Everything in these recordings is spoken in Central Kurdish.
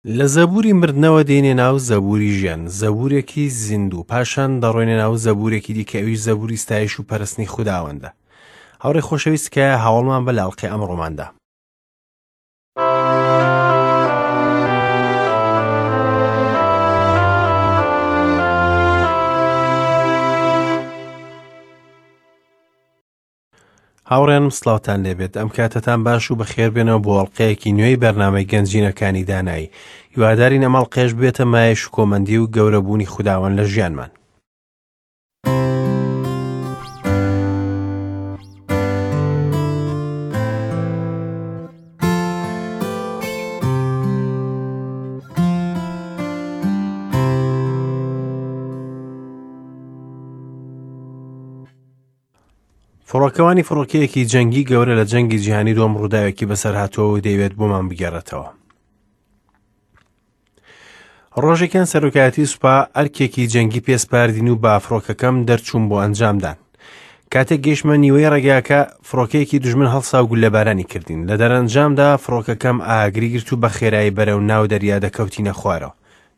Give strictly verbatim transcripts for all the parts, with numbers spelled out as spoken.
لە زەبوری مردنەوە دێنێ ناو زەبوری ژیان، زەبورێکی زیندوو، پاشان دەڕۆینە ناو زەبورێکی دیکە، ئەویش زەبوری ستایش و پەرستنی خوداوەندە. هاوڕێ خۆشەویست کە هاوڵمان بە لاڵقی ئەمڕۆماندا. هاوڕێنم سڵاوتان لێبێت. ئەم کاتەتان باش و بەخێربێنەوە بۆ ئەڵقەیەکی نوێی بەرنامەی گەنجینەکانی دانایی. هیوادارین ئەم ئەڵقەیەش ببێتە مایەی شکۆمەندی و گەورەبوونی خوداوەند لە ژیانمان. فڕۆکەوانی فڕۆکەیەکی جەنگی گەورە لە جەنگی جیهانی دووەم ڕووداوێکی بەسەر هاتووە و دەیەوێت بۆمان بگێڕێتەوە. ڕۆژێکیان سەرۆکایەتی سوپا ئەرکێکی جەنگی پێسپاردین و با فڕۆکەکەم دەرچوون بۆ ئەنجامدان. کاتێک گەیشتمە نیوەی ڕێگاکە، فڕۆکەیەکی دوژمن هەڵسا و گوللەبارانی کردین. لە دەرەنجامدا فڕۆکەکەم ئاگری گرت و بە خێرایی بەرەو ناو دەریا دەکەوتینە خوارەوە.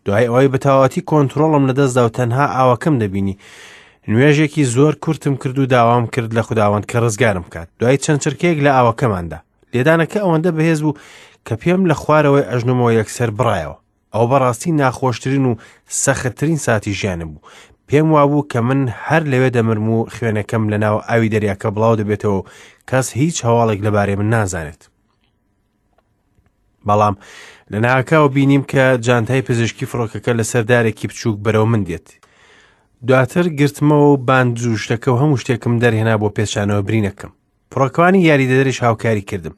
دوای ئەوەی بەتەواوەتی کۆنترۆڵم لەدەستدا و تەنها ئاوەکەم دەبینی، نوێژێکی زۆر کورتم کرد و داوام کرد لە خوداوەند کە ڕزگارم بکات. دوای چەند چرکەیەک لە ئاوەکەماندا لێدانەکە ئەوەندە بەهێز بوو کە پێم لە خوارەوەی ئەژنۆمەوە یەکسەر بڕایەوە. ئەو بەڕاستی ناخۆشترین و سەختترین ساتی ژیانم بوو. پێم وابوو کە من هەر لەوێ دەمرم و خوێنەکەم لەناو ئاوی دەریاکە بڵاو دەبێتەوە و کەس هیچ هەواڵێک لەبارەی من نازانێت. بەڵام لەناکاو بینیم کە جانتای پزیشکی فڕۆکەکە لەسەر دارێکی بچووک بەرەو من دێت. دواتر گرتمەوە و باند و شتەکە و هەموو شتێکم دەرهێنا بۆ پێچانەوە برینەکەم. فڕۆکەوانی یاریدەدەریش هاوکاری کردم.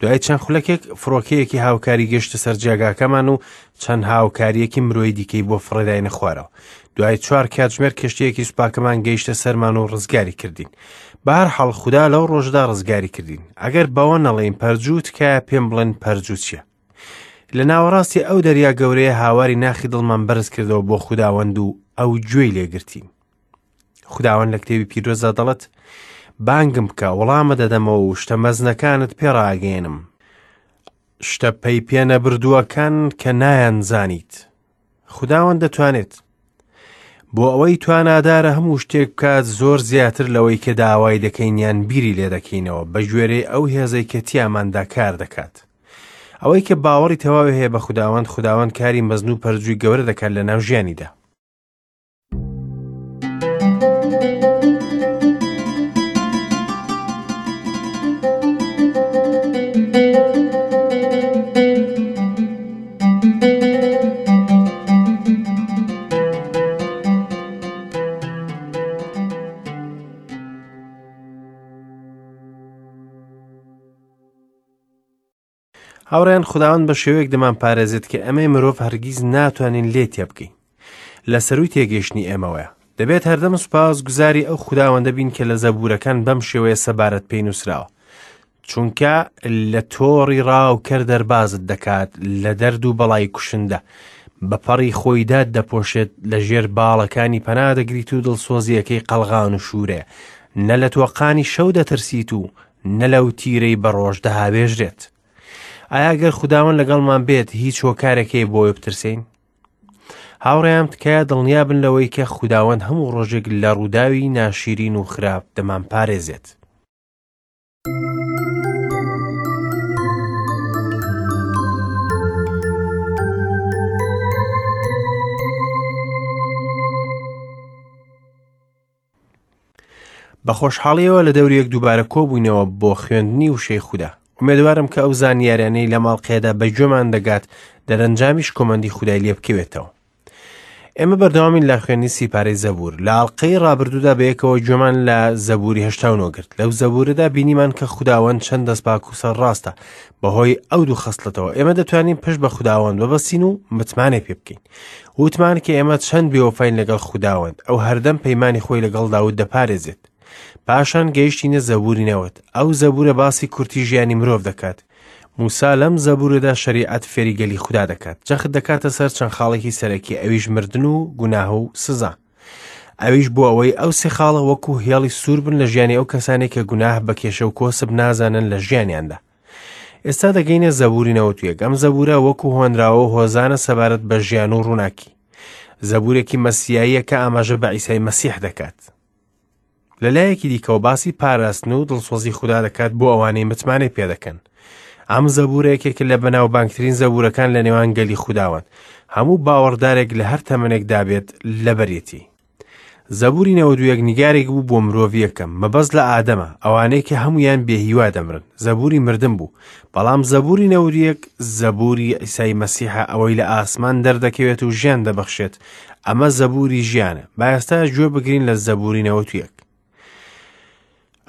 دوای چەند خولەکێک فڕۆکەیەکی هاوکاری گەشتە سەر جێگاکەمان و چەند هاوکاریەکی مرۆیی دیکەی بۆ فڕێداینە خوارەوە. دوای چوار کاتژمێر کەشتییەکی سوپاکەمان گەیشتە سەرمان و ڕزگاری کردین. بەهەرحاڵ خودا لەو ڕۆژدا ڕزگاری کردین. ئەگەر بەوە نەڵێین پەرجوو، تکایە پێم بڵێن پەرجوو چییە؟ لە ناوەڕاستی ئەو دەریا گەورەیە هاواری ناخی دڵمان بەرز کردەوە بۆ خوداوەند و ئەو گوێی لێگرتین. خوداوەند لە کتێبی پیرۆزدا دەڵێت: بانگم بکە، وەڵامە دەدەمەوە و شتە مەزنەکانت پێڕاگەیەنم، شتە پەی پێنەبردووەکان کە نایانزانیت. خوداوەند دەتوانێت بۆ ئەوەی توانادارە هەموو شتێک بکات زۆر زیاتر لەوەی کە داوای دەکەین یان بیری لێ دەکەینەوە، بە گوێرەی ئەو هێزەی کە تیاماندا کار دەکات. ئەوەی کە باوەڕی تەواوی هەیە بە خوداوەند، خوداوەند کاری مەزن و پەرجووی گەورە دەکات لە ناو ژیانیدا. هاوڕێیان، خوداوەند بە شێوەیەک دەمان پارێزێت کە ئەمەی مرۆڤ هەرگیز ناتوانین لێ تێبگەین. لە سەروی تێگەیشتنی ئێمەوەیە. دەبێت هەردەم سوپاس گوزاری ئەو خوداوەندە بین کە لە زەبورەکان بەم شێوەیە سەبارەت پێی نووسراوە، چونکە لە تۆڕی ڕاوکەر دەربازت دەکات، لە دەرد و بەڵای کوشندە، بە پەڕی خۆیدا دەپۆشێت، لە ژێر باڵەکانی پەنا دەگریت و دڵسۆزیەکەی قەڵغان و شوورەیە. نە لە تۆقانی شەو دەترسیت و نە لەو تیرەی بە ڕۆژ دەهاوێژرێت. ئایا ئەگەر خوداوەند لەگەڵمان بێت هیچ هۆکارێکی بۆی بترسین؟ هاوڕێیان، تکایە دڵنیا بن لەوەی کە خوداوەند هەموو ڕۆژێک لە ڕووداوی ناشیرین و خراپ دەمان پارێزێت. بە خۆشحاڵیەوە لە دەوری یەک دووبارە کۆبووینەوە بۆ خوێندنی وشەی خودا. ئومێدوارم کە ئەو زانیاریانەی لە ماڵقێدا بە گوێمان دەگات دەرەنجامیش کۆمەندی خودای لێ بکەوێتەوە. ئێمە بەردەوامین لە خوێندنی سیپارەی زەبور. لە ئەڵقەی ڕابردوودا بەیەکەوە گوێمان لە زەبوری هەشتا و نۆ گرت. لەو زەبورەدا بینیمان کە خوداوەند چەند دەستپاک و سەرڕاستە. بەهۆی ئەو دوو خەسڵەتەوە ئێمە دەتوانین پشت بە خوداوەند ببەستین و متمانەی پێ بکەین. وتمان کە ئێمە چەند بێوەفاین لەگەڵ خوداوەند، ئەو هەردەم پەیمانی خۆی لەگەڵ داود دەپارێزێت. پاشان گەیشتینە زەبوری نەوەد. ئەو زەبورە باسی کورتی ژیانی مرۆڤ دەکات. موسا لەم زەبورەدا شەریعەت فێری گەلی خودا دەکات، جەخت دەکاتە سەر چەند خاڵێکی سەرەکی، ئەویش مردن و گوناه و سزا. ئەویش بۆ ئەوەی ئەو سێ خاڵە وەکو هێڵی سوور بن لە ژیانی ئەو کەسانێک کە گوناه بە کێشە و کۆسپ نازانن لە ژیانیاندا. ئێستا دەگەینە زەبوری نەوەد و یەک. ئەم زەبورە وەکو هۆنراوە و هۆزانە سەبارەت بە ژیان و ڕووناکی. زەبورێکی مەسیاییە کە ئاماژە بە عیسای مەسیح دەکات. لە لایەکی دیکەوە باسی پاراستن و دڵسۆزی خودا دەکات بۆ ئەوانەی متمانەی پێدەکەن. ئەم زەبورە یەکێکە لە بەناوبانگترین زەبورەکان لە نێوان گەلی خوداوەند. هەموو باوەڕدارێک لە هەر تەمەنێکدا بێت لەبەرێتی. زەبوری نەوەد و یەک نیگارێک بوو بۆ مرۆڤ یەکەم، مەبەست لە ئادەمە، ئەوانەی کە هەمویان بێهیوا دەمرن. زەبوری مردن بوو، بەڵام زەبوری نەوەد و یەک زەبوری عیسای مەسیحە، ئەوەی لە ئاسمان دەردەکەوێت و ژیان دەبەخشێت. ئەمە زەبوری ژیانە. با ئێستا گوێ بگرین لە زەبوری نەوەد و یەک.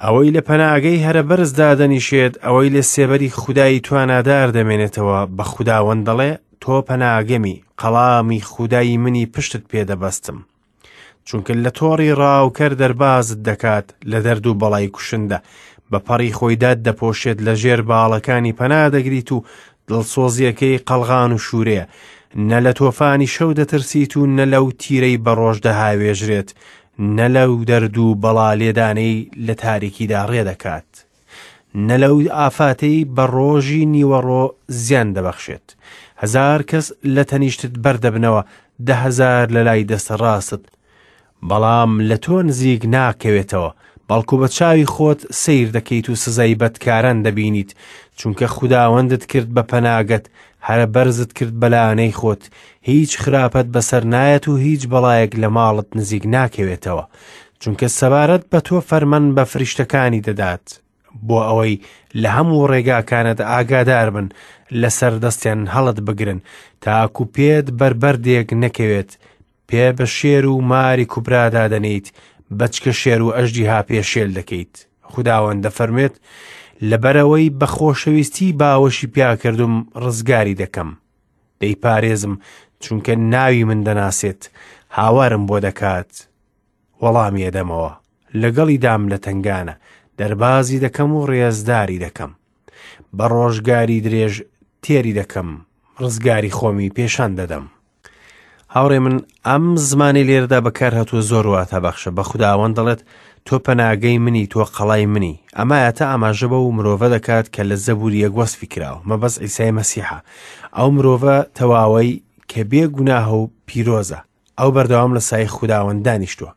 ئەوەی لە پەناگەی هەرە بەرز دادەنیشێت، ئەوەی لە سێبەری خودای توانادار دەمێنێتەوە، بە خوداوەند دەڵێ تۆ پەناگەمی، قەڵامی خودای منی پشتت پێدەبەستم. چونکە لە تۆڕی ڕاوکەر دەربازت دەکات، لە دەرد و بەڵای کوشندە، بە پەڕی خۆیدات دەپۆشێت، لە ژێر باڵەکانی پەنا دەگریت و دڵسۆزیەکەی قەڵغان و شوورەیە. نە لە تۆفانی شەو دەترسیت و نە لەو تیرەی بە ڕۆژ دەهاوێژرێت، نە لەو دەرد و بەڵا لێدانەی لە تاریکیدا ڕێدەکات، نە لەو ئافاتەی بە ڕۆژی نیوەڕۆ زیان دەبەخشێت. هەزار کەس لە تەنیشتت بەردەبنەوە، دە هەزار لە لای دەستە ڕاستت، بەڵام لە تۆ نزیک ناکەوێتەوە، بەڵکو بە چاوی خۆت سەیر دەکەیت و سزای بەدکاران دەبینیت، چونکە خوداوەندت کرد بە پەناگەت، هەرە بەرزت کرد بەلانەی خۆت. هیچ خراپەت بەسەر نایەت و هیچ بەڵایەک لە ماڵت نزیک ناکەوێتەوە، چونکە سەبارەت بە تۆ فەرمان بە فریشتەکانی دەدات، بۆ ئەوەی لە هەموو ڕێگاکانت ئاگادار بن، لەسەر دەستیان هەڵت بگرن، تاکو پێت بەربەردێک نەکەوێت. پێ بە شێر و ماری کوبرادا دەنێیت، بەچکە شێر و ئەژدیها پێشێل دەکەیت. خوداوەند دەفەرمێت لەبەرەوەی بە خۆشەویستی باوەشی پیاکردم ڕزگاری دەکەم، دەیپارێزم چونکە ناوی من دەناسێت، هاوارم بۆ دەکات، وەڵامی ئەدەمەوە، لەگەڵی دام لە تەنگانە، دەربازی دەکەم و ڕێزداری دەکەم، بە ڕۆژگاری درێژ تێری دەکەم، ڕزگاری خۆمی پێشان دەدەم. هاوڕێ من، ئەم زمانی لێرەدا بەکارهاتووە زۆر واتە بەخشە. بە خوداوەند دەڵێت تۆ پەناگەی منی، تۆ قەڵای منی. ئەمە ئاەتە ئاماژە بەو مرۆڤە دەکات کە لە زەبوری یەک وەسفی کراوە، مەبەست عیسای مەسیحە، ئەو مرۆڤە تەواوەی کە بێ گوناهە و پیرۆزە، ئەو بەردەوام لە سای خوداوەند دانیشتووە.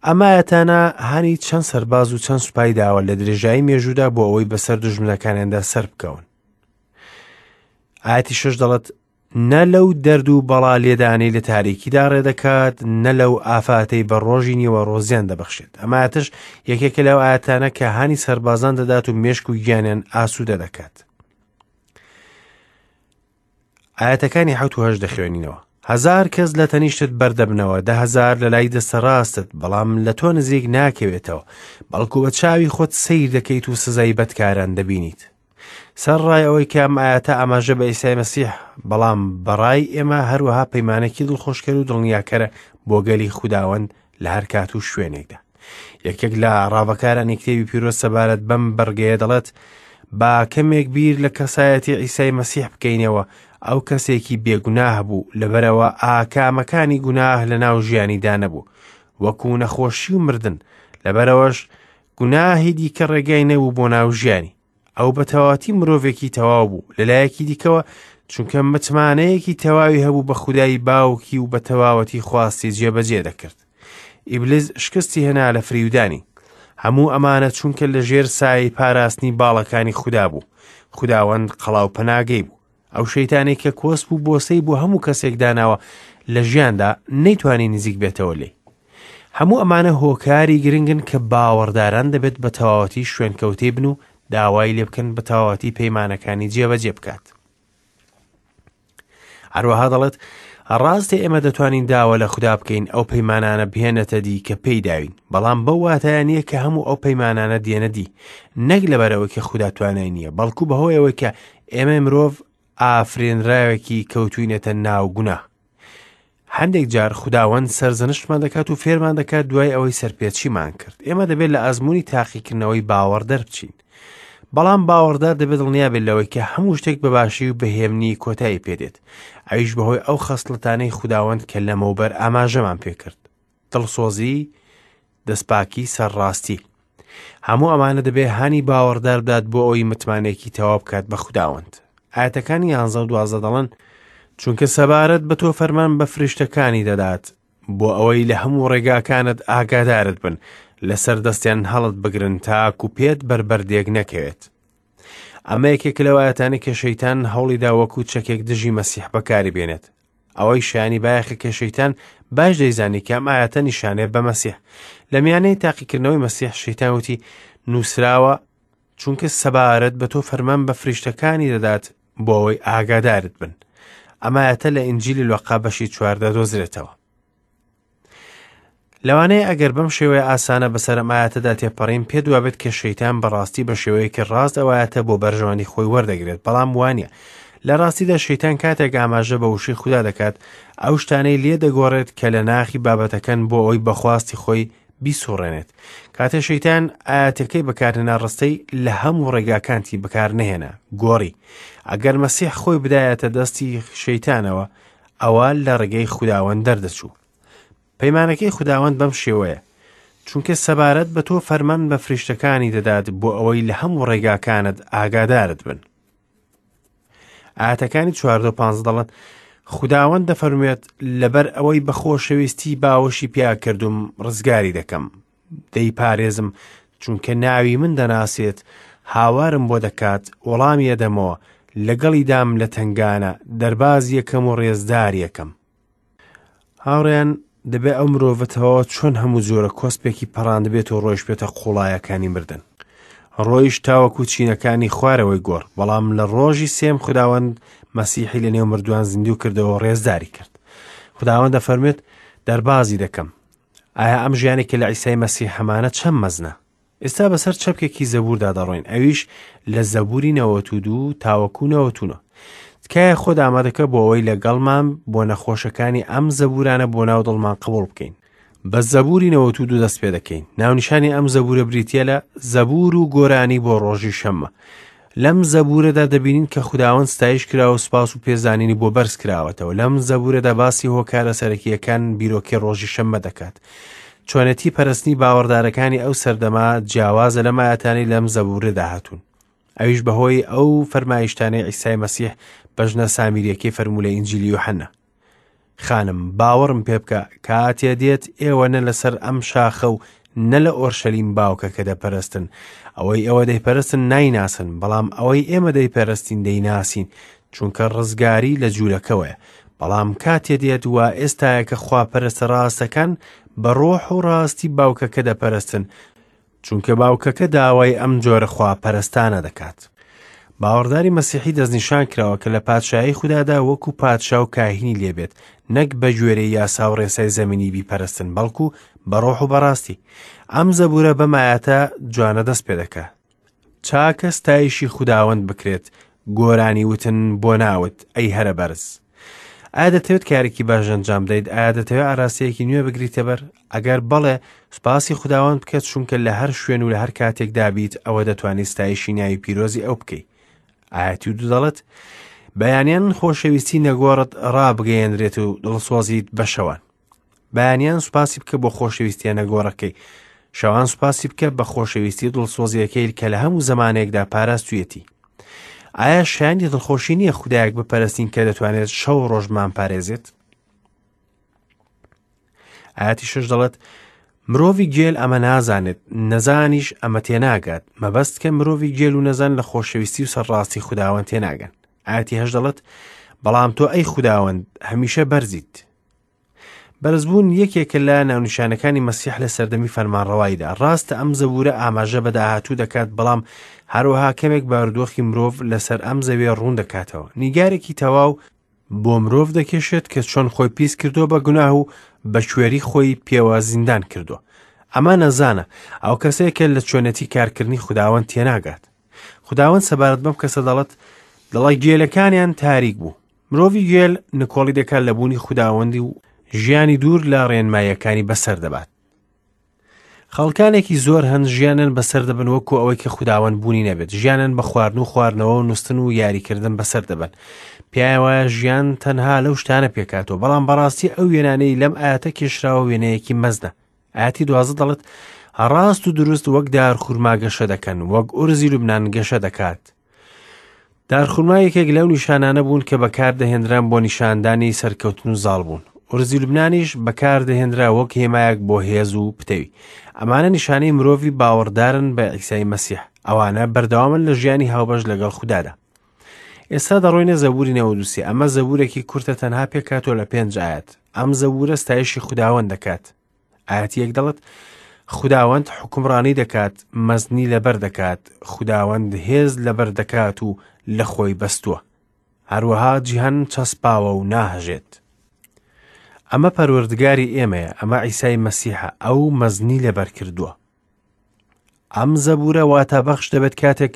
ئەمە ئاەتانە هانی چەند سەرباز و چەند سوپای داوە لە درێژایی مێژوودا بۆ ئەوەی بەسەر دوژمنەکانیاندا سەر بکەون. ئاەتی شەش دەڵێت نە لەو دەرد و بەڵا لێدانەی لە تاریکیدا ڕێدەکات، نە لەو ئافاتەی بە ڕۆژی نیوەڕۆزیان دەبەخشێت. ئەمە ئاەتش یەکێکە لەو ئاەتانە کە هانی سەربازان دەدات و مێشک و گیانیان ئاسوودە دەکات. ئاەتەکانی حەوت و هەشت دەخوێنینەوە. هەزار کەس لە تەنیشتت بەردەبنەوە، دە هەزار لە لای دەستە ڕاستت، بەڵام لە تۆ نزیک ناکەوێتەوە، بەڵکو بە چاوی خۆت سەیر دەکەیت و سزای بەدکاران دەبینیت. سەر ڕای ئەوەی کە ئەم ئاەتە ئاماژە بە عیسای مەسیح، بەڵام بەڕای ئێمە هەروەها پەیمانێکی دڵخۆشکەر و دڵنیاکەرە بۆ گەلی خوداوەند لە هەر کات و شوێنێکدا. یەکێک لە ڕاڤەکارانی کتێبی پیرۆز سەبارەت بەم بەرگەیە دەڵێت با کەمێک بیر لە کەسایەتی عیسای مەسیح بکەینەوە، ئەو کەسێکی بێگوناه بوو، لەبەرەوە ئاکامەکانی گوناه لە ناو ژیانیدا نەبوو، وەکو نەخۆشی و مردن، لەبەرەوەش گوناهی دیکە ڕێگای نەبوو بۆ ناو ژیانی. ئەو بە تەواوەتی مرۆڤێکی تەواو بوو. لەلایەکی دیکەوە چونکە متمانەیەکی تەواوی هەبوو بە خودای باوکی و بە تەواوەتی خواستی جێبەجێ دەکرد. ئیبلیس شکستی هێنا لە فریودانی. هەموو ئەمانە چونکە لە ژێر سایەی پاراستنی باڵەکانی خودا بوو. خوداوەند قەڵاو پەناگەی بوو. ئەو شەیتانێک کە کۆسپ و بۆسەی بۆ هەموو کەسێک داناوە لە ژیاندا نەیتوانی نزیک بێتەوە لێی. هەموو ئەمانە هۆکاری گرنگن کە باوەڕداران دەبێت بە تەواوەتی شوێنکەوتەی بن و داوای لێ بکەن بە تەواوەتی پەیمانەکانی جێبەجێ بکات. هەروەها دەڵێت ڕاستە ئێمە دەتوانین داوا لە خودا بکەین ئەو پەیمانانە بهێنێتە دی کە پێی داوین، بەڵام بەو واتایە نییە کە هەموو ئەو پەیمانانە دێنە دی، نەک لەبەرەوەی کە خودا توانای نییە، بەڵکو بەهۆیەوەی کە ئێمە مرۆڤ ئافرێنراوێکی کەوتوینێتە ناو گوناه. هەندێک جار خوداوەند سەرزەنشتمان دەکات و فێرمان دەکات دوای ئەوەی سەرپێچیمان کرد. ئێمە دەبێت لە ئەزمموی تاقیکردنەوەی باوەڕ دەربچین، بەڵام باوەڕدار دەبێت دڵنیا بێت لەوەی کە هەموو شتێک بە باشی و بەهێمنی کۆتایی پێدێت، ئەویش بەهۆی ئەو خەسڵەتانەی خوداوەند کە لەمەوبەر ئاماژەمان پێکرد: دڵسۆزی، دەستپاکی، سەرڕاستی. هەموو ئەمانە دەبێ هانی باوەڕدار بدات بۆ ئەوەی متمانەیەکی تەواو بکات بە خوداوەند. ئایەتەکانی یانزە و دوازدە دەڵێن چونکە سەبارەت بە تۆ فەرمان بە فریشتەکانی دەدات بۆ ئەوەی لە هەموو ڕێگاکانت ئاگادارت بن، لەسەر دەستیان هەڵت بگرن تاکو پێت بەربەردێک نەکەوێت. ئەمە یەکێک لەو ئایەتانەی کە شەیتان هەوڵیدا وەکو چەکێک دژی مەسیح بەکاری بێنێت. ئەوەی شایانی بایەخە کە شەیتان باش دەیزانی کە ئەم ئایەتە نیشانەیە بە مەسیح. لە میانەی تاقیکردنەوەی مەسیح شەیتان وتی نووسراوە چونکە سەبارەت بە تۆ فەرمان بە فریشتەکانی دەدات بۆ ئەوەی ئاگادارت بن. ئەم ئایەتە لە ئینجیلی لوقا بەشی چواردە دۆزرێتەوە. لەوانەیە ئەگەر بەم شێوەیە ئاسانە بەسەر ئەم ئایەتەدا تێپەڕین پێ دوابێت کە شەیتان بەڕاستی بە شێوەیەکی ڕاست ئەو ئایەتە بۆ بەرژەوەندی خۆی وەردەگرێت، بەڵام وانییە. لە ڕاستیدا شەیتان کاتێک ئاماژە بە وشەی خودا دەکات ئەو شتانەی لێ دەگۆڕێت کە لە ناخی بابەتەکەن بۆ ئەوەی بەخواستی خۆی بیسوڕێنێت. کاتێ شەیتان ئایەتەکەی بەکارهێنا ڕستەی لە هەموو ڕێگاکانتی بەکارنەهێنا، گۆڕی. ئەگەر مەسیح خۆی بدایەتە دەستی شەیتانەوە ئەوە لە ڕێگەی خوداوەند دەردەچوو. پەیمانەکەی خوداوەند بەم شێوەیە چونکە سەبارەت بە تۆ فەرمان بە فریشتەکانی دەدات بۆ ئەوەی لە هەموو ڕێگاکانت ئاگادارت بن. ئایەتەکانی چواردە و پانزە دەڵێن خوداوەند دەفەرموێت لەبەر ئەوەی بە خۆشەویستی باوەشی پیا کردوم ڕزگاری دەکەم، دەیپارێزم چونکە ناوی من دەناسێت، هاوارم بۆ دەکات وەڵامی ئەدەمەوە، لەگەڵیدام لە تەنگانە، دەرباز یەکەم و ڕێزدار یەکەم. هاوڕێیان دەبێ ئەو مرۆڤە تەواوە چۆن هەموو جۆرە کۆسپێکی پەڕاندبێت و ڕۆیش بێتە قوڵایەکانی مردن. ڕۆیش تاوەکو چینەکانی خوارەوەی گۆڕ، بەڵام لە ڕۆژی سێم خوداوەند مەسیحی لە نێو مردووان زیندوو کردەوە ڕێزداری کرد. خوداوەند دەفەرموێت دەربازی دەکەم. ئایا ئەم ژیانێک کە لە عیسای مەسیح هەمانە چەند مەزنە؟ ئێستا بەسەر چەپکێکی زەبووردا دەڕۆین، ئەویش لە زەبووری نەوەت و دوو تاوەکو نەوەت و نۆ. تکایە خۆت ئامادەکە بۆ ئەوەی لەگەڵمان بۆ نەخۆشەکانی ئەم زەبوورانە بۆ ناو دڵمان قبوڵ بکەین. بە زەبووری نەوەت و دوو دەست پێ دەکەین. ناونیشانی ئەم زەبوورە بریتییە لە زەبوور و گۆرانی بۆ ڕۆژی شەممە. لەم زەبوورەدا دەبینین کە خوداوەند ستایش کراوە و سوپاس و پێزانینی بۆ بەرز کراوەتەوە. لەم زەبوورەدا باسی هۆکارە سەرەکییەکان بیرۆکەی ڕۆژی شەممە دەکات. چۆنێتی پەرستنی باوەڕدارەکانی ئەو سەردەما جیاوازە لەم ئایەتانەی لەم زەبوورەدا هاتوون. ئەویش بەهۆی ئەو فەرمایشتانەی عیسای مەسیح بە ژنە سامیریەکەی فەرموو لە ئینجیلی یوحەنا. خانم باوەڕم پێ بکە کاتێ دێت ئێوە نە لەسەر ئەم شاخە و نە لە ئۆرشەلیم باوکەکە دەپەرستن. ئەوەی ئێوە دەیپەرستن نایناسن، بەڵام ئەوەی ئێمە دەیپەرستین دەیناسین، چونکە ڕزگاری لە جوولەکەوەیە. بەڵام کاتێ دێت وا ئێستایە کە خواپەرستە ڕاستەکان بە ڕۆح و ڕاستی باوکەکە دەپەرستن، چونکە باوکەکە داوای ئەم جۆرە خواپەرستانە دەکات. باوەڕداری مەسیحی دەستنیشان کراوە کە لە پادشاهی خودادا وەکو پادشا و کاهینی لێبێت، نەک بە گوێرەی یاسا و ڕێسای زەمینی بیپەرستن، بەڵکو بە ڕۆح و بەڕاستی. ئەم زەبوورە بەم ئایەتە جوانە دەست پێ دەکا. چاکە ستایشی خوداوەند بکرێت، گۆرانی وتن بۆ ناوت ئەی هەرە بەرز. ئایا دەتەوێت کارێکی باش ئەنجام بدەیت؟ ئایا دەتەوێت ئاراستەیەکی نوێ بگریتە بەر؟ ئەگەر بەڵێ، سوپاسی خوداوەند بکە، چونکە لە هەر شوێن و لە هەر کاتێکدا بیت ئەوە دەتوانیت ستایشی ناوی پیرۆزی ئەو بکەیت. ئایەتی دوو دەڵێت بەیانیان خۆشەویستی نەگۆڕت ڕابگەیەنرێت و دڵسۆزیت بە شەوان. بەیانیان سوپاسی بکە بۆ خۆشەویستیە نەگۆڕەکەی، شەوان سوپاسی بکە بە خۆشەویستی دڵسۆزیەکەی کە لە هەموو زەمانێکدا پاراستویەتی. ئایا شایانی دڵخۆشی نییە خودایەک بپەرستین کە دەتوانێت شەو ڕۆژمان پارێزێت؟ ئایەتی شەش دەڵێت مرۆڤی گێل ئەمە نازانێت، نەزانیش ئەمە تێناگات. مەبەست کە مرۆڤی گێل و نەزان لە خۆشەویستی و سەرڕاستی خوداوەند تێناگەن. ئایەتی هەشت دەڵێت بەڵام تۆ ئەی خوداوەند هەمیشە بەرزیت. بەرزبوون یەکێکە لە ناونیشانەکانی مەسیح لە سەردەمی فەرمانڕەواییدا. ڕاستە ئەم زەبوورە ئاماژە بە داهاتوو دەکات، بەڵام هەروەها کەمێک بارودۆخی مرۆڤ لەسەر ئەم زەویە ڕوون دەکاتەوە. نیگارێکی تەواو بۆ مرۆڤ دەکێشێت کە چۆن خۆی پیس کردووە بە گوناه و بە کوێری خۆی پێوە زیندان کردووە. ئەمە نەزانە، ئەو کەسەیە کە لە چۆنێتی کارکردنی خوداوەند تێناگات. خوداوەند سەبارەت بەم کەسە دەڵێت دڵە گێلەکانیان تاریک بوو. مرۆڤی گێل نکۆڵی دەکات لە بوونی خوداوەندی و ژیانی دوور لە ڕێنماییەکانی بەسەر دەبات. خەڵکانێکی زۆر هەن ژیانن بەسەر دەبن وەکو ئەوەی کە خوداوەند بوونی نەبێت. ژیانن بە خواردن و خواردنەوە و نووستن و یاریکردن بەسەر دەبن. پیایە وایە ژیان تەنها لەو شتانە پێکاتەوە، بەڵام بەڕاستی ئەو وێنانەی لەم ئایەتە کێشراوە وێنەیەکی مەزنە. ئایەتی دوازدە دەڵێت ڕاست و دروست وەک دارخورما گەشە دەکەن، وەک ئورزی لوبنان گەشە دەکات. دارخورما یەکێک لەو نیشانانە بوون کە بەکاردەهێنران بۆ نیشاندانی سەرکەوتن و زاڵبوون. ئورزی لوبنانیش بەکاردەهێنرا وەک هێمایەک بۆ هێز و پتەوی. ئەمانە نیشانەی مرۆڤی باوەڕدارن بە عیسای مەسیح. ئەوانە بەردەوامن لە ژیانی هاوبەش لەگەڵ خودادا. ئێستا دەڕۆینە زەبوری نەوەد و سێ. ئەمە زەبورێکی کورتە، تەنها پێکهاتووە لە پێنج ئایەت. ئەم زەبورە ستایشی خوداوەند دەکات. ئایەتی یەک دەڵێت خوداوەند حوکمڕانی دەکات، مەزنی لەبەر دەکات، خوداوەند هێز لەبەر دەکات و لە خۆی بەستووە. هەروەها جیهان چەسپاوە و ناهەژێت. ئەمە پەروەردگاری ئێمەیە، ئەمە عیسای مەسیحە، ئەو مەزنی لەبەر کردووە. ئەم زەبورە واتە بەخش دەبێت کاتێک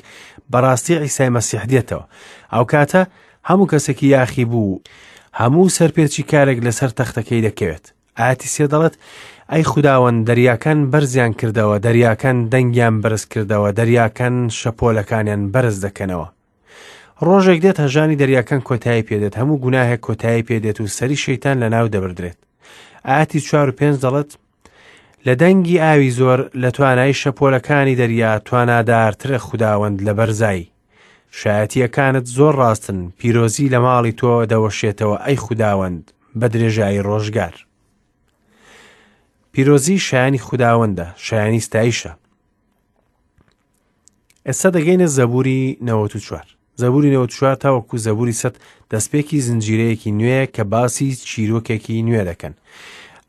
بەڕاستی عیسای مەسیح دێتەوە. ئەو کاتە هەموو کەسێکی یاخی بوو، هەموو سەرپێچی کارێک لەسەر تەختەکەی دەکەوێت. ئایەتی سێ دەڵێت ئەی خوداوەند دەریاکان بەرزیان کردەوە، دەریاکان دەنگیان بەرز کردەوە، دەریاکان شەپۆلەکانیان بەرز دەکەنەوە. ڕۆژێک دێت هەژانی دەریاکان کۆتایی پێدێت، هەموو گوناهێک کۆتایی پێدێت و سەری شەیتان لەناو دەبردرێت. ئایەتی چوار و پێنج دەڵێت لە دەنگی ئاوی زۆر، لە توانای شەپۆلەکانی دەریا توانادارترە خوداوەند لە بەرزایی. شایەتیەکانت زۆر ڕاستن، پیرۆزی لە ماڵی تۆ دەوەشێتەوە ئەی خوداوەند بە درێژایی ڕۆژگار. پیرۆزی شایانی خوداوەندە، شایانی ستایشە. ئێستا دەگەینە زەبوری نەوەد و چوار. زەبوری نەوەد و چوار تاوەکو زەبوری سەد دەستپێکی زنجیرەیەکی نوێ کە باسی چیرۆکێکی نوێ دەکەن.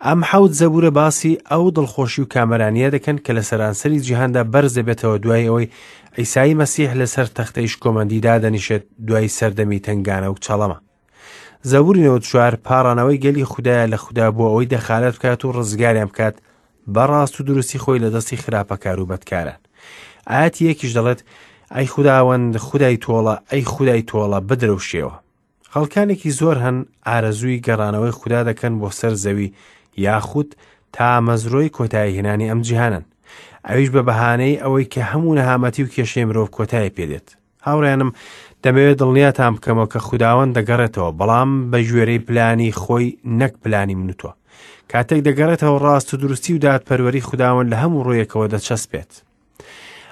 ئەم حەوت زەبورە باسی ئەو دڵخۆشی و کامەرانیە دەکەن کە لە سەرانسەری جیهاندا بەرز دەبێتەوە دوای ئەوەی عیسای مەسیح لەسەر تەختەی شکۆمەندی دادەنیشێت دوای سەردەمی تەنگانە و چەڵەمە. زەبوری نەوەد و چوار پاڕانەوەی گەلی خودایە لە خودا بۆ ئەوەی دەخالەت بکات و ڕزگاریان بکات بە ڕاست و دروستی خۆی لە دەستی خراپەکار و بەدکاران. ئایەتی یەکیش دەڵێت ئەی خوداوەند خودای تۆڵە، ئەی خودای تۆڵە بدرەوشێوە. خەڵکانێکی زۆر هەن ئارەزووی گەڕانەوەی خودا دەکەن بۆ سەر زەوی یاخود تا مەزرۆی کۆتایی هێنانی ئەم جیهانن، ئەویش بە بەهانەی ئەوەی کە هەموو نەهامەتی و کێشەی مرۆڤ کۆتایی پێدێت. هاوڕێیانم، دەمەوێت دڵنیاتان بکەمەوە کە خوداوەند دەگەڕێتەوە، بەڵام بە گوێرەی پلانی خۆی نەک پلانی من و تۆ. کاتێک دەگەڕێتەوە ڕاست و دروستی و دادپەروەری خوداوەند لە هەموو ڕوویەکەوە دەچەسپێت.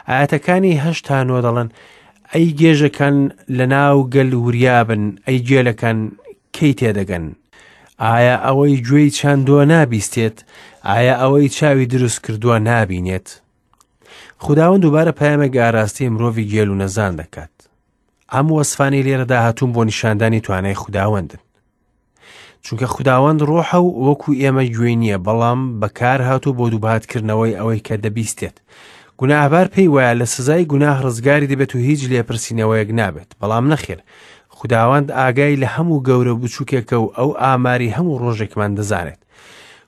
ئایەتەکانی هەشت تا نۆ دەڵێن ئەی گێژەکان لە ناو گەل وریابن، ئەی گێلەکان کەی تێدەگەن؟ ئایا ئەوەی گوێی چاندووە نابیستێت؟ ئایا ئەوەی چاوی دروست کردووە نابینێت؟ خوداوەند دووبارە پەیامێک ئاراستەی مرۆڤی گێل و نەزان دەکات. ئەم وەسفانەی لێرەدا هاتوون بۆ نیشاندانی توانای خوداوەندن، چونکە خوداوەند ڕۆحە و وەکو ئێمە گوێی نییە، بەڵام بەکار هاتوو بۆ دووباتکردنەوەی ئەوەی کە دەبیستێت. گوناهبار پێی وایە لە سزای گوناه ڕزگاری دەبێت و هیچ لێپرسینەوەیەک نابێت، بەڵام نەخێر، خوداوەند ئاگای لە هەموو گەورە بچووکێکە و ئەو ئاماری هەموو ڕۆژێکمان دەزانێت.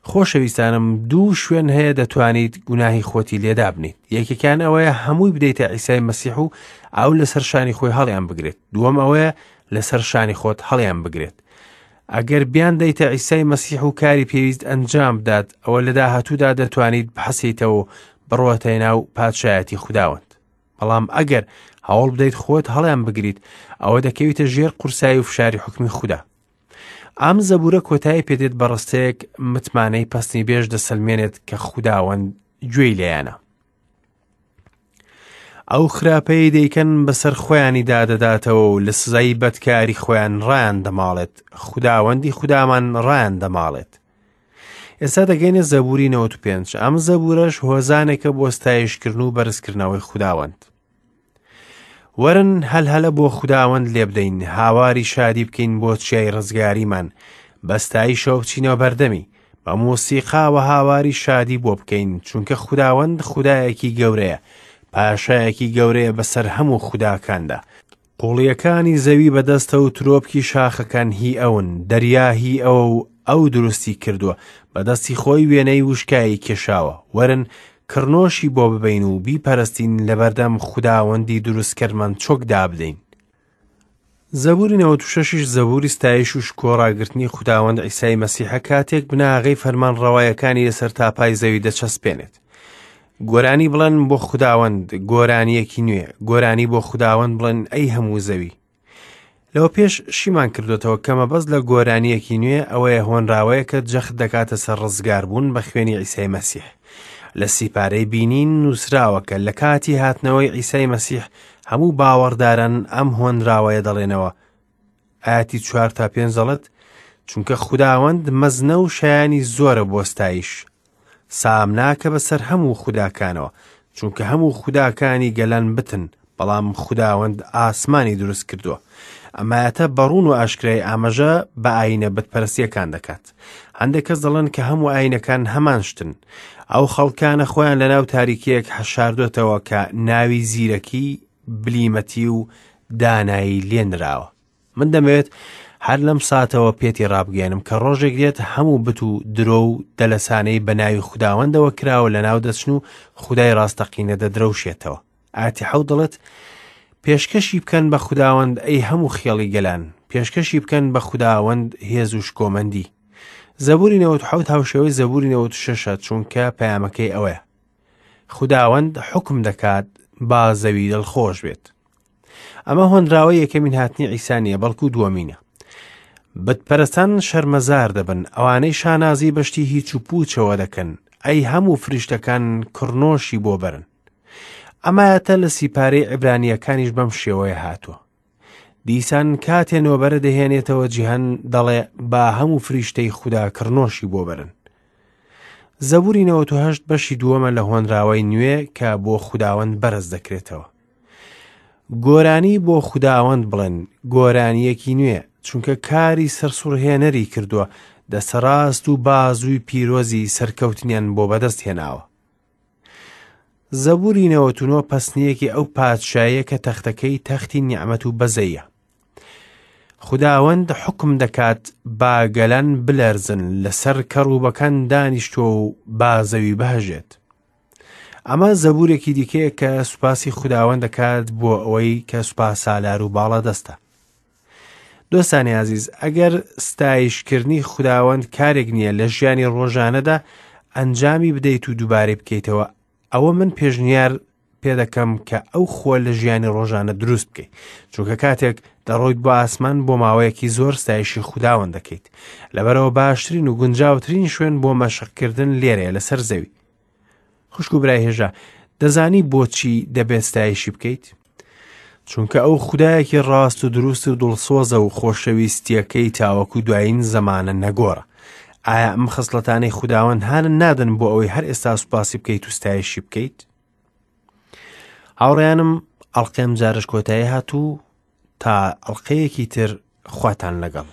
خۆشەویستانم، دوو شوێن هەیە دەتوانیت گوناهی خۆتی لێدا بنیت. یەکێکیان ئەوەیە هەمووی بدەیتە عیسای مەسیح و ئەو لەسەر شانی خۆی هەڵیان بگرێت. دووەم ئەوەیە لەسەر شانی خۆت هەڵیان بگرێت. ئەگەر بیان دەیتە عیسای مەسیح و کاری پێویست ئەنجام بدات، ئەوە لە داهاتوودا دەتوانیت بحەسیتەوە و بڕۆتە ناو پادشایەتی خوداوەند. بەڵام ئەگەر هەوڵ بدەیت خۆت هەڵیان بگریت، ئەوە دەکەویتە ژێر قورسایی و فشاری حوکمی خودا. ئەم زەبورە کۆتایی پێدێت بە ڕستەیەک متمانەی پەستنی بێژ دەسەلمێنێت کە خوداوەند گوێی لێیانە. ئەو خراپەی دەیکەن بەسەر خۆیانی دادەداتەوە و لە سزای بەدکاری خۆیان ڕایان دەماڵێت، خوداوەندی خودامان ڕایان دەماڵێت. ئێستا دەگەینە زەبوری نەوەد و پێنج. ئەم زەبورەش هۆزانێکە بۆ ستایشکردن و بەرزکردنەوەی خوداوەند. وەرن هەلهەلە بۆ خوداوەند لێبدەین، هاواری شادی بکەین بۆ چیای ڕزگاریمان، بە ستایشەوە بچینەوە بەردەمی، بە مۆسیقاوە هاواری شادی بۆ بکەین، چونکە خوداوەند خودایەکی گەورەیە، پاشایەکی گەورەیە بەسەر هەموو خوداکاندا. قوڵیەکانی زەوی بەدەستە و ترۆپکی شاخەکان هی ئەون، دەریا هی ئەوە و ئەو دروستی کردووە، بەدەستی خۆی وێنەی وشکایی کێشاوە. وەرن کڕنۆشی بۆ ببەین و بیپەرستین، لەبەردەم خوداوەندی دروستکردمان چۆک دابدەین. زەبوری نەوەد و شەشیش زەبوری ستایش و شکۆ ڕاگرتنی خوداوەند عیسای مەسیحە کاتێک بناغەی فەرمانڕەوایەکانی لەسەر تاپای زەوی دەچەسپێنێت. گۆرانی بڵێن بۆ خوداوەند، گۆرانیەکی نوێ، گۆرانی بۆ خوداوەند بڵێن ئەی هەموو زەوی. لەوە پێش شیمان کردوێتەوە کە مەبەست لە گۆرانیەکی نوێ ئەوەیە هۆنراوەیە کە جەخت دەکاتە سەر ڕزگاربوون بە خوێنی عیسای مەسیح. لە سیپارەی بینین نووسراوە کە لە کاتی هاتنەوەی عیسای مەسیح هەموو باوەڕداران ئەم هۆنراوەیە دەڵێنەوە. ئاەتی چوار تا پێنج دەڵێت چونکە خوداوەند مەزنە و شایانی زۆرە بۆ ستایش، سامناکە بەسەر هەموو خوداکانەوە، چونکە هەموو خوداکانی گەلان بتن، بەڵام خوداوەند ئاسمانی دروست کردووە. ئەمایەتە بەڕوون و ئاشکرای ئاماژە بە ئاینە بتپەرستیەکان دەکات. هەندێک کەس دەڵێن کە هەموو ئاینەکان هەمان شتن. ئەو خەڵکانە خۆیان لەناو تاریکیەک حەشاردۆتەوە کە ناوی زیرەکی، بلیمەتی و دانایی لێنراوە. من دەمەوێت هەر لەم ساتەوە پێتی ڕابگەێنم کە ڕۆژێک دێت هەموو بت و درۆ و دەلەسانەی بە ناوی خوداوەندەوە کراوە لەناو دەچن و خودای ڕاستەقینە دەدرەوشێتەوە. ئاتی حەوت دەڵێت پێشکەشی بکەن بە خوداوەند ئەی هەموو خێڵی گەلان، پێشکەشی بکەن بە خوداوەند هێز و شکۆمەندی. زەبوری نەوەد و حەوت هاوشێوەی زەبوری نەوەد و شەشە، چونکە پەیامەکەی ئەوەیە خوداوەند حوکم دەکات با زەوی دڵخۆش بێت. ئەمە هۆنراوەی یەکەمین هاتنی عیسا نییە، بەڵکو دووەمینە. بتپەرستان شەرمەزار دەبن، ئەوانەی شانازی بەشتی هیچ و پوچەوە دەکەن، ئەی هەموو فریشتەکان کڕنۆشی بۆ بەرن. ئەمایەتە لە سیپارەی عیبرانیەکانیش بەم شێوەیە هاتووە. دیسان کاتێ نۆبەرە دەهێنێتەوە جیهان دەڵێ با هەموو فریشتەی خودا کڕنۆشی بۆ بەرن. زەبوری نەوەد و هەشت بەشی دووەمە لە هۆنراوەی نوێ کە بۆ خوداوەند بەرز دەکرێتەوە. گۆرانی بۆ خوداوەند بڵێن، گۆرانیەکی نوێ، چونکە کاری سەرسوڕهێنەری کردووە، دەسەڕاست و بازووی پیرۆزی سەرکەوتنیان بۆ بەدەست هێناوە. زەبوری نەوەد و نۆ پەسنیەکی ئەو پادشایە کە تەختەکەی تەختی نیعمەت و بەزەیە. خوداوەند حوکم دەکات با گەلان بلەرزن، لەسەر کەڕوبەکان دانیشتووە و با زەوی بهەژێت. ئەمە زەبورێکی دیکەیە کە سوپاسی خوداوەند دەکات بۆ ئەوەی کە سوپاس سالار و باڵا دەستە. دۆستانی عزیز، ئەگەر ستایشکردنی خوداوەند کارێک نییە لە ژیانی ڕۆژانەدا ئەنجامی بدەیت و دووبارەی بکەیتەوە، ئەوە من پێشنیار پێ دەکەم کە ئەو خۆ لە ژیانی ڕۆژانە دروست بکەیت، چونکە کاتێک دەڕۆیت بۆ ئاسمان بۆ ماوەیەکی زۆر ستایشی خوداوەند دەکەیت. لەبەرەوە باشترین و گونجاوترین شوێن بۆ مەشقکردن لێرەیە لەسەر زەوی. خوشک و برای هێژا، دەزانی بۆچی دەبێت ستایشی بکەیت؟ چونکە ئەو خودایەکی ڕاست و دروست و دڵسۆزە و خۆشەویستیەکەی تاوەکو دوایین زەمانە نەگۆڕە. ئایا ئەم خسڵەتانەی خوداوەند هانن نادەن بۆ ئەوەی هەر ئێستا سوپاسی بکەیت و ستایشی بکەیت؟ هاوڕێیانم، ئەڵقەیەم جارش کۆتایی هات و تا ئەڵقەیەکی تر خواتان لەگەڵ.